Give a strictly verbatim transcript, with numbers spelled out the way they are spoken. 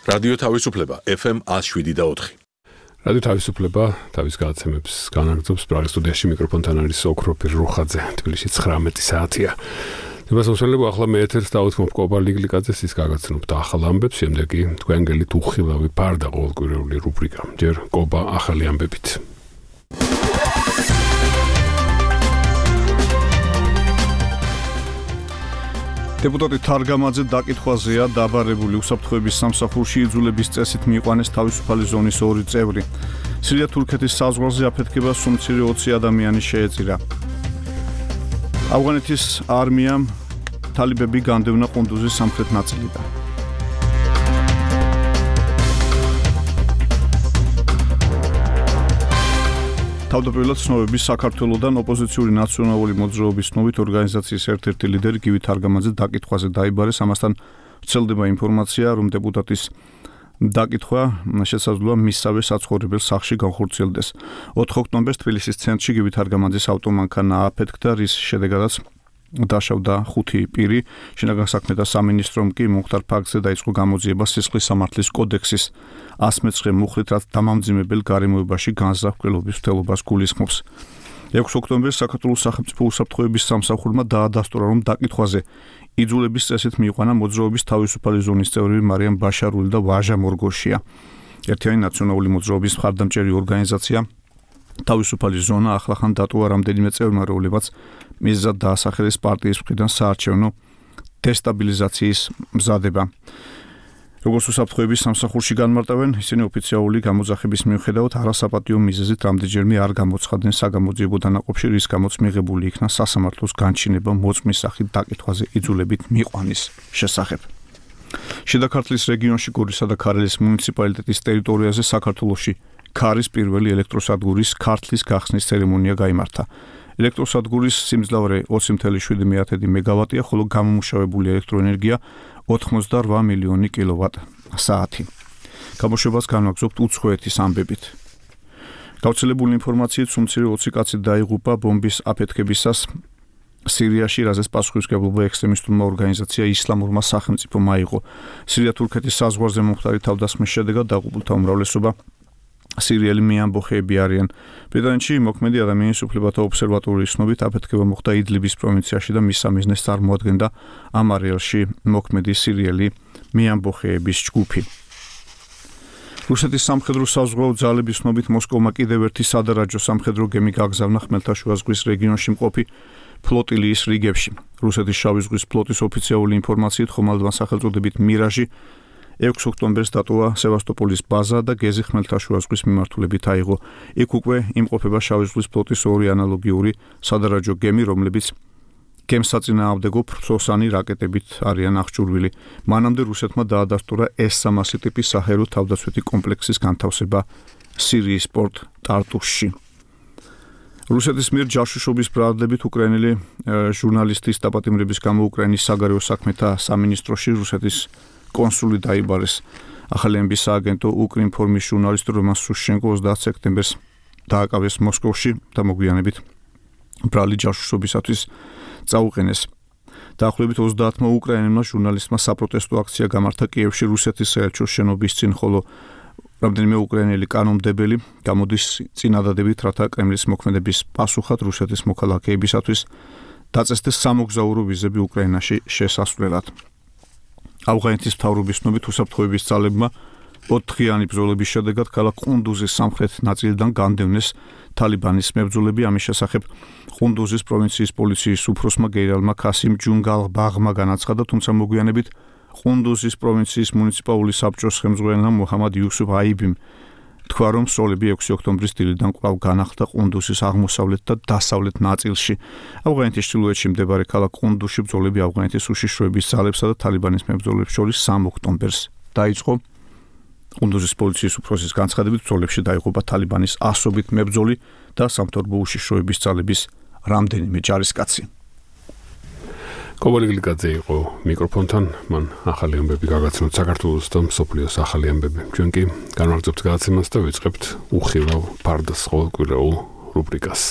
რადიო თავისუფლება ეფ ემ one oh seven და four. რადიო თავისუფლება თავის გადაცემებს განაგრძობს პრაღის სტუდიაში მიკროფონთან არის ოქროფირ რუხაძე. თბილისში ცხრამეტი საათია. Დებასმოსველებო ახლა მე ეთერს დავუთმობ კობა ლიგლიკაძეს ის გაგაცნობთ ახალ ამბებს, შემდეგ კი თქვენ გელით უხილავი ფარდა ყოველკვირეული რუბრიკა. ჯერ კობა ახალი ამბებით. Deputati თარგამაძე დაკითხვაზეა დაბარებული უსაფრთხოების სამსახურში იძულების წესით მიიყვანეს თავისუფალი ზონის ორი წევრი. სირია-თურქეთის საზღვარზე აფეთქება სუმცირე ოცი ადამიანი შეეწირა. ავღანეთის არმიამ თალიბები განდევნა ყუნდუზის სამხრეთ ნაწილიდან. თავდაპირველად ცნობების საქართველოსთან ოპოზიციური ნაციონალური მოძრაობის ცნობით ორგანიზაციის ერთ-ერთი ლიდერი გივი თარგამაძე დაკითხვაზე დაიბარეს. ამასთან ვრცელდება ინფორმაცია, რომ დეპუტატის დაკითხვა შესაძლოა მისსავე საცხოვრებელ სახლში განხორციელდეს. ოთხ ოქტომბერს თბილისის ცენტრში გივი თარგამაძის ავტომანქანა ააფეთქდა, რის შედეგადაც დაშავდა ხუთი პირი. შინაგან საქმეთა სამინისტრომ კი მომხდარ ფაქტზე დაიწყო გამოძიება სისხლის სამართლის კოდექსის one oh nine მუხლით, რაც დამამძიმებელ გარემოებაში განზრახ-მკვლელობის მცდელობას გულისხმობს. ექვსი ოქტომბერს საქართველოს სახელმწიფო უსაფრთხოების სამსახურმა დაადასტურა, რომ დაკითხვაზე იძულების წესით მიიყვანა მოძრაობის თავისუფალი ზონის წევრები მარიამ ბაშარული და ვაჟა მორგოშია. ერთიანი ნაციონალური მოძრაობის მხარდამჭერი ორგანიზაცია თავისუფალი ზონა ახლახან დატოვა რამდენიმე წევრმა, რომლებმაც მიზეზად დაასახელეს პარტიის მხრიდან საარჩევნო დესტაბილიზაციის მზადება. როგორც უსაფრთხოების სამსახურში განმარტავენ, ისინი ოფიციალური გამოძახების მიუხედავად არასაპატიო მიზეზით რამდენჯერმე არ გამოცხადდნენ საგამოძიებო დანაყოფში, რის გამოც მიღებული იქნა სასამართლოს განჩინება მოწმის სახით დაკითხვაზე იძულებით მიიყვანის შესახებ. შიდა ქართლის რეგიონში გორისა და ქარელის მუნიციპალიტეტის ტერიტორიაზე საქართველოში ქარის პირველი ელექტროსადგურის ქართლის გახსნის ცერემონია გაიმართა. ელექტროსადგურის სიმძლავრე ოცი ათეული შვიდი მეგავატია, ხოლო გამომუშავებული ელექტროენერგია ოთხმოცდაოთხ მილიონი კილოვატ-საათი. გამოშვებას განვაგრძობთ უცხოეთის ამბებით. გავრცელებული ინფორმაციით სუმცირე ოცი კაცი დაიღუპა ბომბის აფეთქებისას სირიაში, რაზეც პასუხისმგებლობა ექსტრემისტულმა ორგანიზაცია ისლამურმა სახელმწიფომ აიღო. სირია-თურქეთის საზღვარზე მომხდარი თავდასხმის შედეგად დაღუპულთა უმრავლესობა სირიელი მეამბოხეები არიან. ბრიტანეთში მოქმედი ადამიანის უფლებათა ობსერვატორიის ცნობით აფეთქება მოხდა იდლიბის პროვინციაში და მის სამიზნეს წარმოადგენდა ამ არეალში მოქმედი სირიელი მეამბოხეების ჯგუფი. რუსეთის სამხედრო საზღვაო ძალების ცნობით მოსკოვმა კიდევ ერთი სადარაჯო სამხედრო გემი გაგზავნა ხმელთაშუა ზღვის რეგიონში მყოფი ფლოტილიის რიგებში. რუსეთის შავი ზღვის ფლოტის ოფიციალური ინფორმაციით ხომალდმა სახელწოდებით მირაჟი ექვსი ოქტომბერს დატოვა სევასტოპოლის ბაზა და გეზი ხმელთაშუა ზღვის მიმართულებით აიღო. იქ უკვე იმყოფება შავი ზღვის ფლოტის ორი ანალოგიური სადარაჯო გემი, რომლებიც გემსაწინააღმდეგო ფრთოსანი რაკეტებით არიან აღჭურვილი. მანამდე რუსეთმა დაადასტურა ეს სამასი ტიპის საჰაერო თავდაცვითი კომპლექსის განთავსება სირიის პორტ ტარტუსში. რუსეთის მიერ ჯაშუშობის ბრალდებით უკრაინელი ჟურნალისტის დაპატიმრების გამო უკრაინის საგარეო საქმეთა სამინისტროში რუსეთის კონსული დაიბარეს. ახალი ემბის სააგენტო უკრინფორმის ჟურნალისტ რომან სუშენკო ოცდაათ სექტემბერს დააკავეს მოსკოვში და მოგვიანებით ბრალი ჯაშუშობისათვის წაუყენეს. დაახლოებით ოცდაათმა უკრაინელმა ჟურნალისტმა საპროტესტო აქცია გამართა კიევში რუსეთის საელჩოს შენობის წინ, ხოლო რამდენიმე უკრაინელი კანონმდებელი გამოდის წინადადებით, რათა კრემლის მოქმედების პასუხად რუსეთის მოქალაქეებისათვის დაწესდეს სამოგზაურო ვიზები უკრაინაში შესასვლელად. ავღანეთის მთავრობის ცნობით უსაფრთხოების ძალებმა ოთხდღიანი ბრძოლების შედეგად ქალაქ ყუნდუზის სამხრეთ ნაწილიდან განდევნეს თალიბანის მებრძოლები. ამის შესახებ ყუნდუზის პროვინციის პოლიციის უფროსმა გენერალმა ქასიმ ჯუნგალბაღმა განაცხადა, თუმცა მოგვიანებით ყუნდუზის პროვინციის მუნიციპალური საბჭოს ხელმძღვანელმა მუჰამად იუსუფ აიბიმ თქვა, რომ სროლები ექვსი ოქტომბრის დილიდან კვლავ განახლდა ყუნდუზის აღმოსავლეთ და დასავლეთ ნაწილში. ავღანეთის ჩრდილოეთში მდებარე ქალაქ ყუნდუზში ბრძოლები ავღანეთის უშიშროების ძალებსა და თალიბანის მებრძოლებს შორის სამ ოქტომბერს დაიწყო. ყუნდუზის პოლიციის უფროსის განცხადებით ბრძოლებში დაიღუპა თალიბანის ასობით მებრძოლი და სამთავრობო უშიშროების ძალების რამდენიმე ჯარისკაცი. კობა ლიგლიკაძე იყო მიკროფონთან, მან ახალი ამბები გაგაცნოთ საქართველოს და მსოფლიოს ახალი ამბები. ჩვენ კი განვაგრძობთ გადაცემას და ვიწყებთ უხილავ ფარდას ყოველკვირეულ რუბრიკას.